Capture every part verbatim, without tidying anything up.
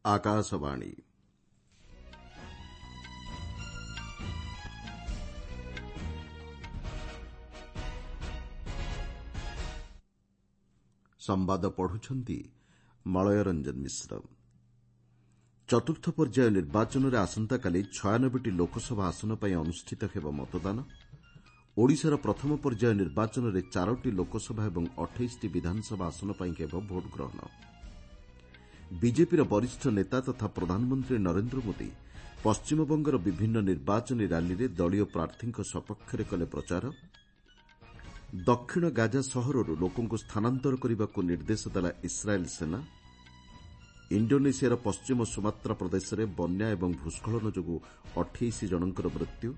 ଆକାଶବାଣୀ। ସମ୍ବାଦ ପଢୁଛନ୍ତି ମଳୟ ରଞ୍ଜନ ମିଶ୍ର। ଚତୁର୍ଥ ପର୍ଯ୍ୟାୟ ନିର୍ବାଚନରେ ଆସନ୍ତାକାଲି ଛୟାନବେଟି ଲୋକସଭା ଆସନ ପାଇଁ ଅନୁଷ୍ଠିତ ହେବ ମତଦାନ। ଓଡ଼ିଶାର ପ୍ରଥମ ପର୍ଯ୍ୟାୟ ନିର୍ବାଚନରେ ଚାରୋଟି ଲୋକସଭା ଏବଂ ଅଠେଇଶଟି ବିଧାନସଭା ଆସନ ପାଇଁ ହେବ ଭୋଟଗ୍ରହଣ। ବିଜେପିର ବରିଷ୍ଠ ନେତା ତଥା ପ୍ରଧାନମନ୍ତ୍ରୀ ନରେନ୍ଦ୍ର ମୋଦି ପଶ୍ଚିମବଙ୍ଗର ବିଭିନ୍ନ ନିର୍ବାଚନୀ ର୍ୟାଲିରେ ଦଳୀୟ ପ୍ରାର୍ଥୀଙ୍କ ସପକ୍ଷରେ କଲେ ପ୍ରଚାର। ଦକ୍ଷିଣ ଗାଜା ସହରରୁ ଲୋକଙ୍କୁ ସ୍ଥାନାନ୍ତର କରିବାକୁ ନିର୍ଦ୍ଦେଶ ଦେଲା ଇସ୍ରାଏଲ୍ ସେନା। ଇଣ୍ଡୋନେସିଆର ପଶ୍ଚିମ ସୁମାତ୍ରା ପ୍ରଦେଶରେ ବନ୍ୟା ଏବଂ ଭୂସ୍ଖଳନ ଯୋଗୁଁ ଅଠେଇଶ ଜଣଙ୍କର ମୃତ୍ୟୁ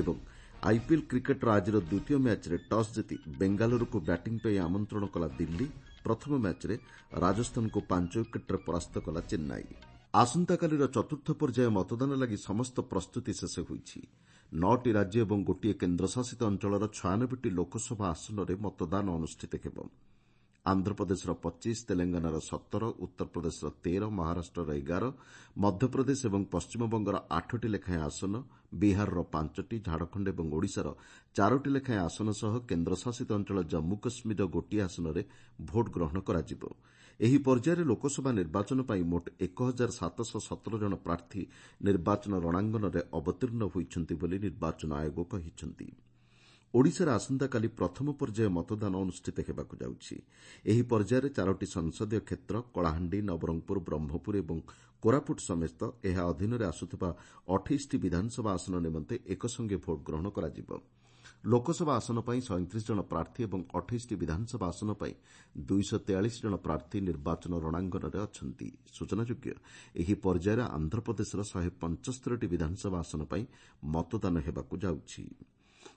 ଏବଂ ଆଇପିଏଲ୍ କ୍ରିକେଟ୍ର ଆଜିର ଦ୍ୱିତୀୟ ମ୍ୟାଚ୍ରେ ଟସ୍ ଜିତି ବେଙ୍ଗାଲୁରୁକୁ ବ୍ୟାଟିଂ ପାଇଁ ଆମନ୍ତ୍ରଣ କଲା ଦିଲ୍ଲୀ। ପ୍ରଥମ ମ୍ୟାଚ୍ରେ ରାଜସ୍ଥାନକୁ ପାଞ୍ଚ ୱିକେଟ୍ରେ ପରାସ୍ତ କଲା ଚେନ୍ନାଇ। ଆସନ୍ତାକାଲିର ଚତୁର୍ଥ ପର୍ଯ୍ୟାୟ ମତଦାନ ଲାଗି ସମସ୍ତ ପ୍ରସ୍ତୁତି ଶେଷ ହୋଇଛି। ନଅଟି ରାଜ୍ୟ ଏବଂ ଗୋଟିଏ କେନ୍ଦ୍ରଶାସିତ ଅଞ୍ଚଳର ଛୟାନବେଟି ଲୋକସଭା ଆସନରେ ମତଦାନ ଅନୁଷ୍ଠିତ ହେବ। ଆନ୍ଧ୍ରପ୍ରଦେଶର ପଚିଶ, ତେଲଙ୍ଗାନାର ସତର, ଉତ୍ତରପ୍ରଦେଶର ତେର, ମହାରାଷ୍ଟ୍ରର ଏଗାର, ମଧ୍ୟପ୍ରଦେଶ ଏବଂ ପଶ୍ଚିମବଙ୍ଗର ଆଠଟି ଲେଖାଏଁ ଆସନ, ବିହାରର ପାଞ୍ଚଟି, ଝାଡ଼ଖଣ୍ଡ ଏବଂ ଓଡ଼ିଶାର ଚାରୋଟି ଲେଖାଏଁ ଆସନ ସହ କେନ୍ଦ୍ରଶାସିତ ଅଞ୍ଚଳ ଜମ୍ମୁ କାଶ୍ମୀରର ଗୋଟିଏ ଆସନରେ ଭୋଟଗ୍ରହଣ କରାଯିବ। ଏହି ପର୍ଯ୍ୟାୟରେ ଲୋକସଭା ନିର୍ବାଚନ ପାଇଁ ମୋଟ ଏକ ହଜାର ସାତଶହ ସତର ଜଣ ପ୍ରାର୍ଥୀ ନିର୍ବାଚନ ରଣାଙ୍ଗନରେ ଅବତୀର୍ଣ୍ଣ ହୋଇଛନ୍ତି ବୋଲି ନିର୍ବାଚନ ଆୟୋଗ କହିଛନ୍ତି। ଓଡ଼ିଶାରେ ଆସନ୍ତାକାଲି ପ୍ରଥମ ପର୍ଯ୍ୟାୟ ମତଦାନ ଅନୁଷ୍ଠିତ ହେବାକୁ ଯାଉଛି। ଏହି ପର୍ଯ୍ୟାୟରେ ଚାରୋଟି ସଂସଦୀୟ କ୍ଷେତ୍ର କଳାହାଣ୍ଡି, ନବରଙ୍ଗପୁର, ବ୍ରହ୍ମପୁର ଏବଂ କୋରାପୁଟ ସମେତ ଏହା ଅଧୀନରେ ଆସୁଥିବା ଅଠେଇଶଟି ବିଧାନସଭା ଆସନ ନିମନ୍ତେ ଏକସଙ୍ଗେ ଭୋଟଗ୍ରହଣ କରାଯିବ। ଲୋକସଭା ଆସନ ପାଇଁ ସଇଁତିରିଶ ଜଣ ପ୍ରାର୍ଥୀ ଏବଂ ଅଠେଇଶଟି ବିଧାନସଭା ଆସନ ପାଇଁ ଦୁଇଶହ ତେୟାଳିଶ ଜଣ ପ୍ରାର୍ଥୀ ନିର୍ବାଚନ ରଣାଙ୍ଗନରେ ଅଛନ୍ତି। ସୂଚନାଯୋଗ୍ୟ, ଏହି ପର୍ଯ୍ୟାୟରେ ଆନ୍ଧ୍ରପ୍ରଦେଶର ଶହେ ପଞ୍ଚସ୍ତରୀଟି ବିଧାନସଭା ଆସନ ପାଇଁ ମତଦାନ ହେବାକୁ ଯାଉଛି।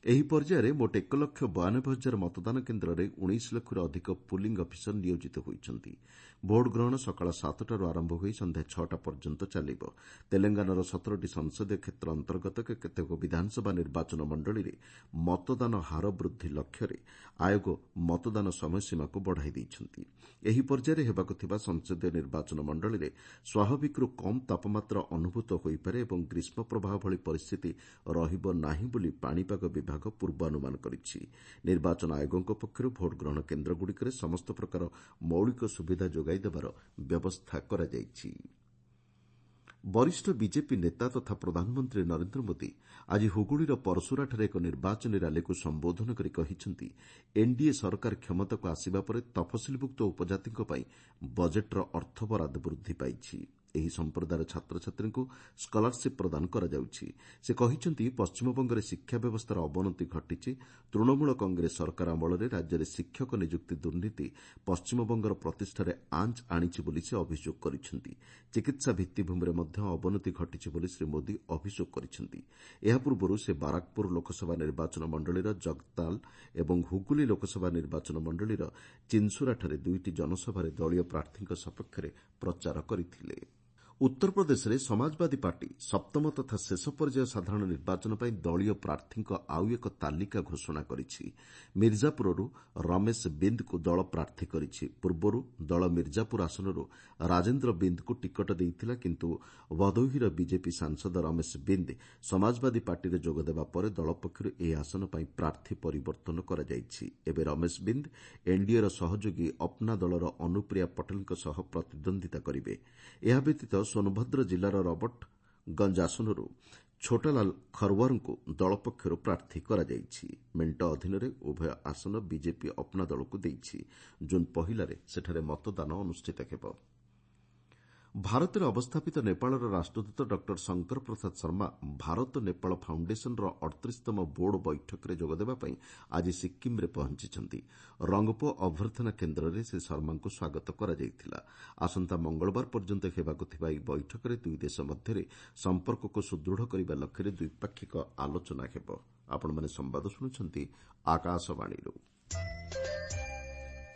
ଏହି ପର୍ଯ୍ୟାୟରେ ମୋଟ ଏକ ଲକ୍ଷ ବୟାନବେ ହଜାର ମତଦାନ କେନ୍ଦ୍ରରେ ଉଣେଇଶ ଲକ୍ଷରୁ ଅଧିକ ପୁଲିଂ ଅଫିସର ନିୟୋଜିତ ହୋଇଛନ୍ତି। ଭୋଟଗ୍ରହଣ ସକାଳ ସାତଟାରୁ ଆରମ୍ଭ ହୋଇ ସନ୍ଧ୍ୟା ଛଅଟା ପର୍ଯ୍ୟନ୍ତ ଚାଲିବ। ତେଲଙ୍ଗାନାର ସତରଟି ସଂସଦୀୟ କ୍ଷେତ୍ର ଅନ୍ତର୍ଗତ କେତେକ ବିଧାନସଭା ନିର୍ବାଚନ ମଣ୍ଡଳୀରେ ମତଦାନ ହାର ବୃଦ୍ଧି ଲକ୍ଷ୍ୟରେ ଆୟୋଗ ମତଦାନ ସମୟସୀମାକୁ ବଢ଼ାଇ ଦେଇଛନ୍ତି। ଏହି ପର୍ଯ୍ୟାୟରେ ହେବାକୁ ଥିବା ସଂସଦୀୟ ନିର୍ବାଚନ ମଣ୍ଡଳୀରେ ସ୍ୱାଭାବିକରୁ କମ୍ ତାପମାତ୍ରା ଅନୁଭୂତ ହୋଇପାରେ ଏବଂ ଗ୍ରୀଷ୍ମ ପ୍ରବାହ ଭଳି ପରିସ୍ଥିତି ରହିବ ନାହିଁ ବୋଲି ପାଣିପାଗ ବିଭାଗ ପୂର୍ବାନୁମାନ କରିଛି। ନିର୍ବାଚନ ଆୟୋଗଙ୍କ ପକ୍ଷରୁ ଭୋଟଗ୍ରହଣ କେନ୍ଦ୍ରଗୁଡ଼ିକରେ ସମସ୍ତ ପ୍ରକାର ମୌଳିକ ସୁବିଧା ଯୋଗାଇ ଦେବାର ବ୍ୟବସ୍ଥା କରାଯାଇଛି। ବରିଷ୍ଠ ବିଜେପି ନେତା ତଥା ପ୍ରଧାନମନ୍ତ୍ରୀ ନରେନ୍ଦ୍ର ମୋଦି ଆଜି ହୁଗୁଳିର ପରସୁରାଠାରେ ଏକ ନିର୍ବାଚନୀ ର୍ୟାଲିକୁ ସମ୍ବୋଧନ କରି କହିଛନ୍ତି, ଏନ୍ଡିଏ ସରକାର କ୍ଷମତାକୁ ଆସିବା ପରେ ତଫସିଲଭୁକ୍ତ ଉପଜାତିଙ୍କ ପାଇଁ ବଜେଟ୍ର ଅର୍ଥ ବରାଦ ବୃଦ୍ଧି ପାଇଛି। ଏହି ସମ୍ପ୍ରଦାୟର ଛାତ୍ରଛାତ୍ରୀଙ୍କୁ ସ୍କଲାରସିପ୍ ପ୍ରଦାନ କରାଯାଉଛି। ସେ କହିଛନ୍ତି, ପଶ୍ଚିମବଙ୍ଗରେ ଶିକ୍ଷା ବ୍ୟବସ୍ଥାର ଅବନତି ଘଟିଛି। ତୃଣମୂଳ କଂଗ୍ରେସ ସରକାର ଅମଳରେ ରାଜ୍ୟରେ ଶିକ୍ଷକ ନିଯୁକ୍ତି ଦୁର୍ନୀତି ପଶ୍ଚିମବଙ୍ଗର ପ୍ରତିଷ୍ଠାରେ ଆଞ୍ଚ ଆଣିଛି ବୋଲି ସେ ଅଭିଯୋଗ କରିଛନ୍ତି। ଚିକିତ୍ସା ଭିତ୍ତିଭୂମିରେ ମଧ୍ୟ ଅବନତି ଘଟିଛି ବୋଲି ଶ୍ରୀ ମୋଦି ଅଭିଯୋଗ କରିଛନ୍ତି। ଏହା ପୂର୍ବରୁ ସେ ବାରାକପୁର ଲୋକସଭା ନିର୍ବାଚନ ମଣ୍ଡଳୀର ଜଗତାଲ ଏବଂ ହୁଗୁଲି ଲୋକସଭା ନିର୍ବାଚନ ମଣ୍ଡଳୀର ଚିନ୍ସୁରାଠାରେ ଦୁଇଟି ଜନସଭାରେ ଦଳୀୟ ପ୍ରାର୍ଥୀଙ୍କ ସପକ୍ଷରେ ପ୍ରଚାର କରିଥିଲେ। ଉତ୍ତରପ୍ରଦେଶରେ ସମାଜବାଦୀ ପାର୍ଟି ସପ୍ତମ ତଥା ଶେଷ ପର୍ଯ୍ୟାୟ ସାଧାରଣ ନିର୍ବାଚନ ପାଇଁ ଦଳୀୟ ପ୍ରାର୍ଥୀଙ୍କ ଆଉ ଏକ ତାଲିକା ଘୋଷଣା କରିଛି। ମିର୍ଜାପୁରରୁ ରମେଶ ବିନ୍ଦ୍କୁ ଦଳ ପ୍ରାର୍ଥୀ କରିଛି। ପୂର୍ବରୁ ଦଳ ମିର୍ଜାପୁର ଆସନରୁ ରାଜେନ୍ଦ୍ର ବିନ୍ଦ୍କୁ ଟିକଟ ଦେଇଥିଲା, କିନ୍ତୁ ଭଦୋହିର ବିଜେପି ସାଂସଦ ରମେଶ ବିନ୍ଦ ସମାଜବାଦୀ ପାର୍ଟିରେ ଯୋଗଦେବା ପରେ ଦଳ ପକ୍ଷରୁ ଏହି ଆସନ ପାଇଁ ପ୍ରାର୍ଥୀ ପରିବର୍ତ୍ତନ କରାଯାଇଛି। ଏବେ ରମେଶ ବିନ୍ଦ ଏନ୍ଡିଏର ସହଯୋଗୀ ଅପ୍ନା ଦଳର ଅନୁପ୍ରିୟା ପଟେଲଙ୍କ ସହ ପ୍ରତିଦ୍ୱନ୍ଦ୍ୱିତା କରିବେ। ଏହା ବ୍ୟତୀତ ସୋନଭଦ୍ର ଜିଲ୍ଲାର ରବର୍ଟଗଞ୍ଜ ଆସନରୁ ଛୋଟାଲାଲ ଖରୱାରଙ୍କୁ ଦଳ ପକ୍ଷରୁ ପ୍ରାର୍ଥୀ କରାଯାଇଛି। ମେଣ୍ଟ ଅଧୀନରେ ଉଭୟ ଆସନ ବିଜେପି ଅପ୍ନା ଦଳକୁ ଦେଇଛି। ଜୁନ୍ ପହିଲାରେ ସେଠାରେ ମତଦାନ ଅନୁଷ୍ଠିତ ହେବ। ଭାରତରେ ଅବସ୍ଥାପିତ ନେପାଳର ରାଷ୍ଟ୍ରଦୂତ ଡକ୍ଟର ଶଙ୍କର ପ୍ରସାଦ ଶର୍ମା ଭାରତ ନେପାଳ ଫାଉଣ୍ଡେସନର ଅଠତିରିଶତମ ବୋର୍ଡ ବୈଠକରେ ଯୋଗଦେବା ପାଇଁ ଆଜି ସିକ୍କିମ୍ରେ ପହଞ୍ଚିଛନ୍ତି। ରଙ୍ଗପୋ ଅଭ୍ୟର୍ଥନା କେନ୍ଦ୍ରରେ ଶ୍ରୀ ଶର୍ମାଙ୍କୁ ସ୍ୱାଗତ କରାଯାଇଥିଲା। ଆସନ୍ତା ମଙ୍ଗଳବାର ପର୍ଯ୍ୟନ୍ତ ହେବାକୁ ଥିବା ଏହି ବୈଠକରେ ଦୁଇ ଦେଶ ମଧ୍ୟରେ ସମ୍ପର୍କକୁ ସୁଦୃଢ଼ କରିବା ଲକ୍ଷ୍ୟରେ ଦ୍ୱିପାକ୍ଷିକ ଆଲୋଚନା ହେବ। ଆପଣମାନେ ସମ୍ବାଦ ଶୁଣୁଛନ୍ତି ଆକାଶବାଣୀରୁ।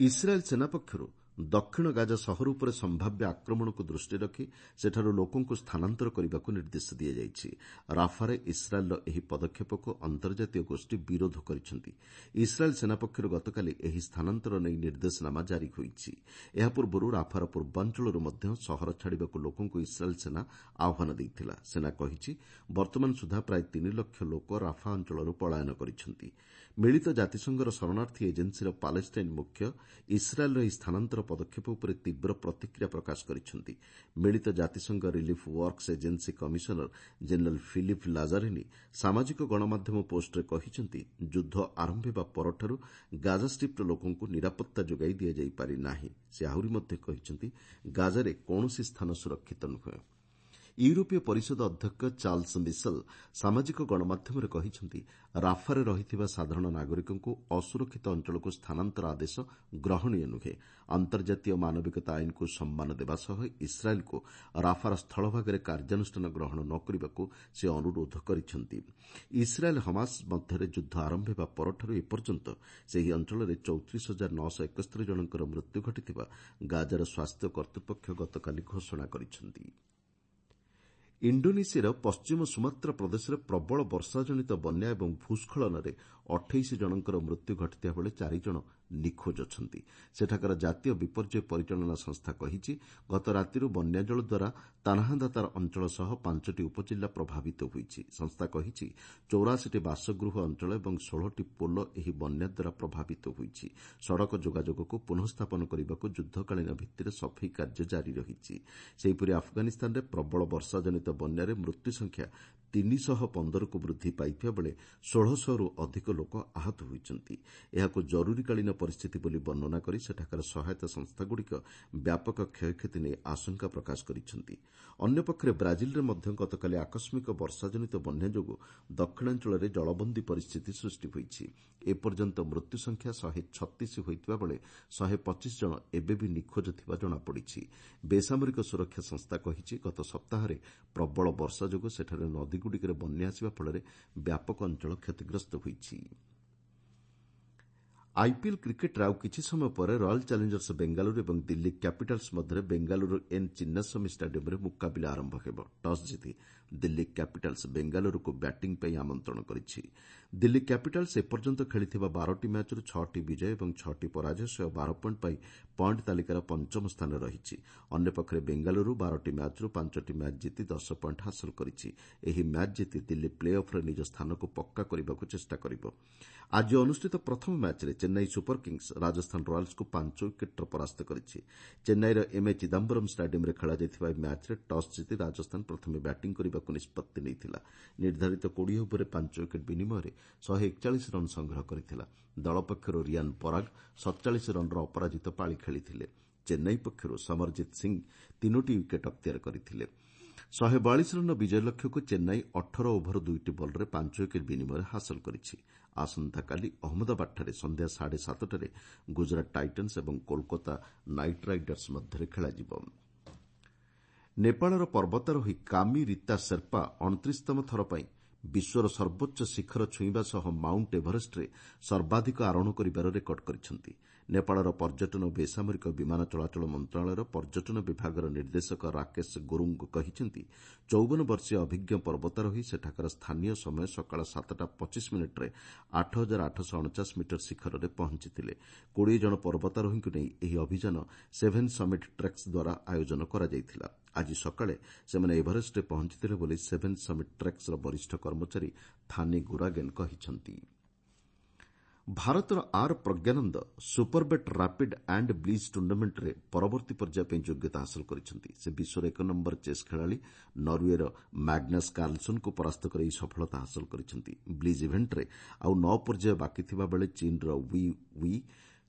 ଇସ୍ରାଏଲ୍ ସେନା ପକ୍ଷରୁ ଦକ୍ଷିଣ ଗାଜା ସହର ଉପରେ ସମ୍ଭାବ୍ୟ ଆକ୍ରମଣକୁ ଦୃଷ୍ଟିରେ ରଖି ସେଠାରୁ ଲୋକଙ୍କୁ ସ୍ଥାନାନ୍ତର କରିବାକୁ ନିର୍ଦ୍ଦେଶ ଦିଆଯାଇଛି। ରାଫାରେ ଇସ୍ରାଏଲ୍ର ଏହି ପଦକ୍ଷେପକୁ ଅନ୍ତର୍ଜାତୀୟ ଗୋଷ୍ଠୀ ବିରୋଧ କରିଛନ୍ତି। ଇସ୍ରାଏଲ୍ ସେନା ପକ୍ଷରୁ ଗତକାଲି ଏହି ସ୍ଥାନାନ୍ତର ନେଇ ନିର୍ଦ୍ଦେଶନାମା ଜାରି ହୋଇଛି। ଏହା ପୂର୍ବରୁ ରାଫାର ପୂର୍ବାଞ୍ଚଳରୁ ମଧ୍ୟ ସହର ଛାଡ଼ିବାକୁ ଲୋକଙ୍କୁ ଇସ୍ରାଏଲ୍ ସେନା ଆହ୍ୱାନ ଦେଇଥିଲା। ସେନା କହିଛି, ବର୍ତ୍ତମାନ ସୁଦ୍ଧା ପ୍ରାୟ ତିନି ଲକ୍ଷ ଲୋକ ରାଫା ଅଞ୍ଚଳରୁ ପଳାୟନ କରିଛନ୍ତି। ମିଳିତ ଜାତିସଂଘର ଶରଣାର୍ଥୀ ଏଜେନ୍ସିର ପାଲେଷ୍ଟାଇନ୍ ମୁଖ୍ୟ ଇସ୍ରାଏଲ୍ର ଏହି ସ୍ଥାନାନ୍ତର ପଦକ୍ଷେପ ଉପରେ ତୀବ୍ର ପ୍ରତିକ୍ରିୟା ପ୍ରକାଶ କରିଛନ୍ତି। ମିଳିତ ଜାତିସଂଘ relief works agency commissioner general Philippe Lazzarini ସାମାଜିକ ଗଣମାଧ୍ୟମ ପୋଷ୍ଟରେ କହିଛନ୍ତି, ଯୁଦ୍ଧ ଆରମ୍ଭ ହେବା ପରଠାରୁ ଗାଜା ଷ୍ଟ୍ରିପ୍ର ଲୋକଙ୍କୁ ନିରାପତ୍ତା ଯୋଗାଇ ଦିଆଯାଇ ପାରିନାହିଁ। ସେ ଆହୁରି ମଧ୍ୟ କହିଛନ୍ତି, ଗାଜାରେ କୌଣସି ସ୍ଥାନ ସୁରକ୍ଷିତ ନୁହେଁ। ୟୁରୋପୀୟ ପରିଷଦ ଅଧ୍ୟକ୍ଷ ଚାର୍ଲସ ମିସେଲ୍ ସାମାଜିକ ଗଣମାଧ୍ୟମରେ କହିଛନ୍ତି, ରାଫାରେ ରହିଥିବା ସାଧାରଣ ନାଗରିକଙ୍କୁ ଅସୁରକ୍ଷିତ ଅଞ୍ଚଳକୁ ସ୍ଥାନାନ୍ତର ଆଦେଶ ଗ୍ରହଣୀୟ ନୁହେଁ। ଅନ୍ତର୍ଜାତୀୟ ମାନବିକତା ଆଇନକୁ ସମ୍ମାନ ଦେବା ସହ ଇସ୍ରାଏଲ୍କୁ ରାଫାର ସ୍ଥଳଭାଗରେ କାର୍ଯ୍ୟାନୁଷ୍ଠାନ ଗ୍ରହଣ ନ କରିବାକୁ ସେ ଅନୁରୋଧ କରିଛନ୍ତି। ଇସ୍ରାଏଲ୍ ହମାସ ମଧ୍ୟରେ ଯୁଦ୍ଧ ଆରମ୍ଭ ହେବା ପରଠାରୁ ଏପର୍ଯ୍ୟନ୍ତ ସେହି ଅଞ୍ଚଳରେ ଚଉତିରିଶ ହଜାର ନଅଶହ ଏକସ୍ତରି ଜଣଙ୍କର ମୃତ୍ୟୁ ଘଟିଥିବା ଗାଜାର ସ୍ୱାସ୍ଥ୍ୟ କର୍ତ୍ତୃପକ୍ଷ ଗତକାଲି ଘୋଷଣା କରିଛନ୍ତି। ଇଣ୍ଡୋନେସିଆର ପଶ୍ଚିମ ସୁମାତ୍ରା ପ୍ରଦେଶରେ ପ୍ରବଳ ବର୍ଷାଜନିତ ବନ୍ୟା ଏବଂ ଭୂସ୍ଖଳନରେ ଅଠେଇଶ ଜଣଙ୍କର ମୃତ୍ୟୁ ଘଟିଥିବା ବେଳେ ଚାରି ଜଣ ନିଖୋଜ ଅଛନ୍ତି। ସେଠାକାର ଜାତୀୟ ବିପର୍ଯ୍ୟୟ ପରିଚାଳନା ସଂସ୍ଥା କହିଛି, ଗତ ରାତିରୁ ବନ୍ୟାଜଳ ଦ୍ୱାରା ତାନାହାଦାତାର ଅଞ୍ଚଳ ସହ ପାଞ୍ଚଟି ଉପଜିଲ୍ଲା ପ୍ରଭାବିତ ହୋଇଛି। ସଂସ୍ଥା କହିଛି, ଚଉରାଶୀଟି ବାସଗୃହ ଅଞ୍ଚଳ ଏବଂ ଷୋହଳଟି ପୋଲ ଏହି ବନ୍ୟା ଦ୍ୱାରା ପ୍ରଭାବିତ ହୋଇଛି। ସଡ଼କ ଯୋଗାଯୋଗକୁ ପୁନଃସ୍ଥାପନ କରିବାକୁ ଯୁଦ୍ଧକାଳୀନ ଭିତ୍ତିରେ ସଫେଇ କାର୍ଯ୍ୟ ଜାରି ରହିଛି। ସେହିପରି ଆଫଗାନିସ୍ତାନରେ ପ୍ରବଳ ବର୍ଷାଜନିତ ବନ୍ୟାରେ ମୃତ୍ୟୁ ସଂଖ୍ୟା ତିନିଶହ ପନ୍ଦରକୁ ବୃଦ୍ଧି ପାଇଥିବା ବେଳେ ଷୋହଳଶହରୁ ଅଧିକ ଲୋକ ଆହତ ହୋଇଛନ୍ତି। ଏହାକୁ ଜରୁରୀକାଳୀନ ପରିସ୍ଥିତି ବୋଲି ବର୍ଣ୍ଣନା କରି ସେଠାକାର ସହାୟତା ସଂସ୍ଥାଗୁଡ଼ିକ ବ୍ୟାପକ କ୍ଷୟକ୍ଷତି ନେଇ ଆଶଙ୍କା ପ୍ରକାଶ କରିଛନ୍ତି। ଅନ୍ୟପକ୍ଷରେ ବ୍ରାଜିଲ୍ରେ ମଧ୍ୟ ଗତକାଲି ଆକସ୍ମିକ ବର୍ଷାଜନିତ ବନ୍ୟା ଯୋଗୁଁ ଦକ୍ଷିଣାଞ୍ଚଳରେ ଜଳବନ୍ଦୀ ପରିସ୍ଥିତି ସୃଷ୍ଟି ହୋଇଛି। ଏପର୍ଯ୍ୟନ୍ତ ମୃତ୍ୟୁ ସଂଖ୍ୟା ଶହେ ଛତିଶ ହୋଇଥିବା ବେଳେ ଶହେ ପଚିଶ ଜଣ ଏବେ ବି ନିଖୋଜ ଥିବା ଜଣାପଡ଼ିଛି। ବେସାମରିକ ସୁରକ୍ଷା ସଂସ୍ଥା କହିଛି, ଗତ ସପ୍ତାହରେ ପ୍ରବଳ ବର୍ଷା ଯୋଗୁଁ ସେଠାରେ ନଦୀଗୁଡ଼ିକରେ ବନ୍ୟା ଆସିବା ଫଳରେ ବ୍ୟାପକ ଅଞ୍ଚଳ କ୍ଷତିଗ୍ରସ୍ତ ହୋଇଛି। ଆଇପିଏଲ୍ କ୍ରିକେଟ୍ରେ ଆଉ କିଛି ସମୟ ପରେ ରୟାଲ୍ ଚ୍ୟାଲେଞ୍ଜର୍ସ ବେଙ୍ଗାଲୁରୁ ଏବଂ ଦିଲ୍ଲୀ କ୍ୟାପିଟାଲ୍ସ ମଧ୍ୟରେ ବେଙ୍ଗାଲୁରୁ ଏନ୍ ଚିନ୍ନାସ୍ୱାମୀ ଷ୍ଟାଡିୟମ୍ରେ ମୁକାବିଲା ଆରମ୍ଭ ହେବ। ଟସ୍ ଜିତି ଦିଲ୍ଲୀ କ୍ୟାପିଟାଲ୍ସ ବେଙ୍ଗାଲୁରୁକୁ ବ୍ୟାଟିଂ ପାଇଁ ଆମନ୍ତ୍ରଣ କରିଛି। ଦିଲ୍ଲୀ କ୍ୟାପିଟାଲ୍ସ ଏପର୍ଯ୍ୟନ୍ତ ଖେଳିଥିବା ବାରଟି ମ୍ୟାଚ୍ରୁ ଛଅଟି ବିଜୟ ଏବଂ ଛଅଟି ପରାଜୟ ସହ ବାର ପଏଣ୍ଟ ପାଇ ପଏଣ୍ଟ ତାଲିକାର ପଞ୍ଚମ ସ୍ଥାନରେ ରହିଛି। ଅନ୍ୟପକ୍ଷରେ ବେଙ୍ଗାଲୁରୁ ବାରଟି ମ୍ୟାଚ୍ରୁ ପାଞ୍ଚଟି ମ୍ୟାଚ୍ ଜିତି ଦଶ ପଏଣ୍ଟ ହାସଲ କରିଛି। ଏହି ମ୍ୟାଚ୍ ଜିତି ଦିଲ୍ଲୀ ପ୍ଲେ ଅଫ୍ରେ ନିଜ ସ୍ଥାନକୁ ପକ୍କା କରିବାକୁ ଚେଷ୍ଟା କରିବ। ଆଜି ଅନୁଷ୍ଠିତ ପ୍ରଥମ ମ୍ୟାଚ୍ରେ ଚେନ୍ନାଇ ସୁପର କିଙ୍ଗ୍ସ ରାଜସ୍ଥାନ ରୟାଲ୍ସକୁ ପାଞ୍ଚ ୱିକେଟ୍ରେ ପରାସ୍ତ କରିଛି। ଚେନ୍ନାଇର ଏମ୍ଏ ଚିଦାମ୍ବରମ୍ ଷ୍ଟାଡିୟମ୍ରେ ଖେଳାଯାଇଥିବା ଏହି ମ୍ୟାଚ୍ରେ ଟସ୍ ଜିତି ରାଜସ୍ଥାନ ପ୍ରଥମେ ବ୍ୟାଟିଂ କରିବାକୁ ନିଷ୍ପତ୍ତି ନେଇଥିଲା। ନିର୍ଦ୍ଧାରିତ କୋଡ଼ିଏ ଓଭରରେ ପାଞ୍ଚ ୱିକେଟ୍ ବିନିମୟରେ ଶହେ ଏକଚାଳିଶ ରନ୍ ସଂଗ୍ରହ କରିଥିଲା। ଦଳ ପକ୍ଷରୁ ରିଆନ୍ ପରାଗ ସତଚାଳିଶ ରନ୍ର ଅପରାଜିତ ପାଳି ଖେଳିଥିଲେ। ଚେନ୍ନାଇ ପକ୍ଷରୁ ସମରଜିତ୍ ସିଂ ତିନୋଟି ୱିକେଟ୍ ଅକ୍ତିଆର କରିଥିଲେ। ଶହେ ବୟାଳିଶ ରନ୍ର ବିଜୟ ଲକ୍ଷ୍ୟକୁ ଚେନ୍ନାଇ ଅଠର ଓଭର ଦୁଇଟି ବଲ୍ରେ ପାଞ୍ଚ ୱିକେଟ୍ ବିନିମୟରେ ହାସଲ କରିଛି। ଆସନ୍ତାକାଲି ଅହମ୍ମଦାବାଦଠାରେ ସନ୍ଧ୍ୟା ସାଢ଼େ ସାତଟାରେ ଗୁଜରାଟ ଟାଇଟନ୍ସ ଏବଂ କୋଲକାତା ନାଇଟ୍ ରାଇଡର୍ସ ମଧ୍ୟରେ ଖେଳାଯିବ। ନେପାଳର ପର୍ବତାରୋହୀ କାମି ରୀତା ସେର୍ପା ଅଣତିରିଶତମ ଥର ପାଇଁ ବିଶ୍ୱର ସର୍ବୋଚ୍ଚ ଶିଖର ଛୁଇଁବା ସହ ମାଉଣ୍ଟ ଏଭରେଷ୍ଟରେ ସର୍ବାଧିକ ଆରୋହଣ କରିବାର ରେକର୍ଡ କରିଛନ୍ତି। ନେପାଳର ପର୍ଯ୍ୟଟନ ଓ ବେସାମରିକ ବିମାନ ଚଳାଚଳ ମନ୍ତ୍ରଣାଳୟର ପର୍ଯ୍ୟଟନ ବିଭାଗର ନିର୍ଦ୍ଦେଶକ ରାକେଶ ଗୁରୁଙ୍ଗ କହିଛନ୍ତି, ଚଉବନ ବର୍ଷୀୟ ଅଭିଜ୍ଞ ପର୍ବତାରୋହୀ ସେଠାକାର ସ୍ଥାନୀୟ ସମୟ ସକାଳ ସାତଟା ପଚିଶ ମିନିଟ୍ରେ ଆଠ ହଜାର ଆଠଶହ ଅଣଚାଶ ମିଟର ଶିଖରରେ ପହଞ୍ଚିଥିଲେ। କୋଡ଼ିଏ ଜଣ ପର୍ବତାରୋହୀଙ୍କୁ ନେଇ ଏହି ଅଭିଯାନ ସେଭେନ୍ ସମିଟ୍ ଟ୍ରେକ୍ସ ଦ୍ୱାରା ଆୟୋଜନ କରାଯାଇଥିଲା। ଆଜି ସକାଳେ ସେମାନେ ଏଭରେଷ୍ଟରେ ପହଞ୍ଚିଥିଲେ ବୋଲି ସେଭେନ୍ ସମିଟ୍ ଟ୍ରେକ୍ସର ବରିଷ୍ଠ କର୍ମଚାରୀ ଥାନି ଗୁରାଗେନ୍ କହିଛନ୍ତି। ଭାରତର R Praggnanandhaa Superbet rapid and blitz ଟୁର୍ଣ୍ଣାମେଣ୍ଟରେ ପରବର୍ତ୍ତୀ ପର୍ଯ୍ୟାୟ ପାଇଁ ଯୋଗ୍ୟତା ହାସଲ କରିଛନ୍ତି। ସେ ବିଶ୍ୱର ଏକ ନମ୍ବର ଚେସ୍ ଖେଳାଳି ନରୱେର ମ୍ୟାଗ୍ନସ୍ କାର୍ଲସନ୍ଙ୍କୁ ପରାସ୍ତ କରି ଏହି ସଫଳତା ହାସଲ କରିଛନ୍ତି। ବ୍ଲିଜ୍ ଇଭେଣ୍ଟରେ ଆଉ ନଅ ପର୍ଯ୍ୟାୟ ବାକି ଥିବାବେଳେ ଚୀନ୍ର we we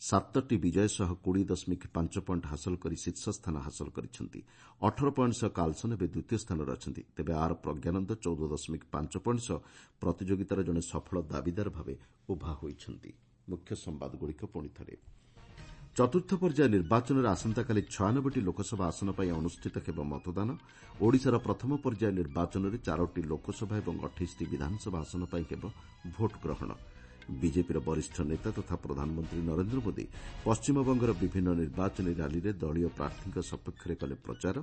ସାତଟି ବିଜୟ ସହ କୋଡ଼ିଏ ଦଶମିକ ପାଞ୍ଚ ପଏଣ୍ଟ ହାସଲ କରି ଶୀର୍ଷ ସ୍ଥାନ ହାସଲ କରିଛନ୍ତି। ଅଠର ପଏଣ୍ଟ ସହ କାର୍ଲସନ୍ ଏବେ ଦ୍ୱିତୀୟ ସ୍ଥାନରେ ଅଛନ୍ତି। ତେବେ ଆର୍ ପ୍ରଜ୍ଞାନନ୍ଦ ଚଉଦ ଦଶମିକ ପାଞ୍ଚ ପଏଣ୍ଟ ସହ ପ୍ରତିଯୋଗିତାର ଜଣେ ସଫଳ ଦାବିଦାର ଭାବେ ଉଭା ହୋଇଛନ୍ତି। ମୁଖ୍ୟ ସମ୍ବାଦଗୁଡ଼ିକ ପୁଣି ଥରେ। ଚତୁର୍ଥ ପର୍ଯ୍ୟାୟ ନିର୍ବାଚନରେ ଆସନ୍ତାକାଲି ଛୟାନବେଟି ଲୋକସଭା ଆସନ ପାଇଁ ଅନୁଷ୍ଠିତ ହେବ ମତଦାନ। ଓଡ଼ିଶାର ପ୍ରଥମ ପର୍ଯ୍ୟାୟ ନିର୍ବାଚନରେ ଚାରୋଟି ଲୋକସଭା ଏବଂ ଅଠେଇଶଟି ବିଧାନସଭା ଆସନ ପାଇଁ ହେବ ଭୋଟ୍ ଗ୍ରହଣ। ବିଜେପିର ବରିଷ୍ଠ ନେତା ତଥା ପ୍ରଧାନମନ୍ତ୍ରୀ ନରେନ୍ଦ୍ର ମୋଦି ପଶ୍ଚିମବଙ୍ଗର ବିଭିନ୍ନ ନିର୍ବାଚନୀ ର୍ୟାଲିରେ ଦଳୀୟ ପ୍ରାର୍ଥୀଙ୍କ ସପକ୍ଷରେ କଲେ ପ୍ରଚାର।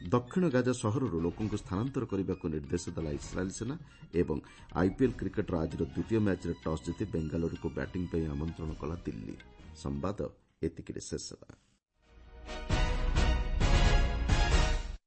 ଦକ୍ଷିଣ ଗାଜା ସହରରୁ ଲୋକଙ୍କୁ ସ୍ଥାନାନ୍ତର କରିବାକୁ ନିର୍ଦ୍ଦେଶ ଦେଲା ଇସ୍ରାଏଲ୍ ସେନା। ଏବଂ ଆଇପିଏଲ୍ କ୍ରିକେଟ୍ର ଆଜିର ଦ୍ୱିତୀୟ ମ୍ୟାଚ୍ରେ ଟସ୍ ଜିତି ବେଙ୍ଗାଲୁରୁକୁ ବ୍ୟାଟିଂ ପାଇଁ ଆମନ୍ତ୍ରଣ କଲା ଦିଲ୍ଲୀ। ସମ୍ବାଦ ଏତିକିରେ ଶେଷ ହେଲା।